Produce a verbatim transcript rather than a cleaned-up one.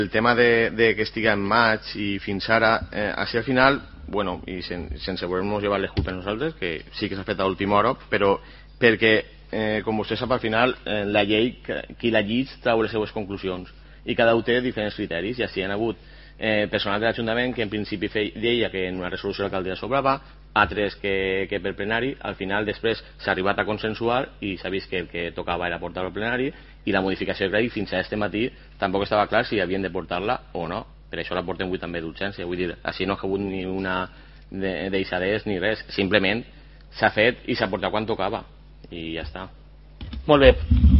El tema de, de que estigui en maig i fins ara, eh, així al final, bueno, i sen, sense voler-nos llevar les culpes nosaltres, que sí que s'ha fet a última hora, però perquè, eh, com vostè sap, al final, eh, la llei, qui la llig trau les seues conclusions, i cada un té diferents criteris, i així hi ha hagut eh, personal de l'Ajuntament que en principi deia que en una resolució l'alcaldia sobrava, altres que, que per plenari. Al final després s'ha arribat a consensuar i s'ha vist que el que tocava era portar-lo al plenari, i la modificació de crèdit fins a este matí tampoc estava clar si havien de portar-la o no. Per això la portem avui també d'urgència. Vull dir, així no ha hagut ni una de, deixadès ni res, simplement s'ha fet i s'ha portat quan tocava i ja està. Molt bé.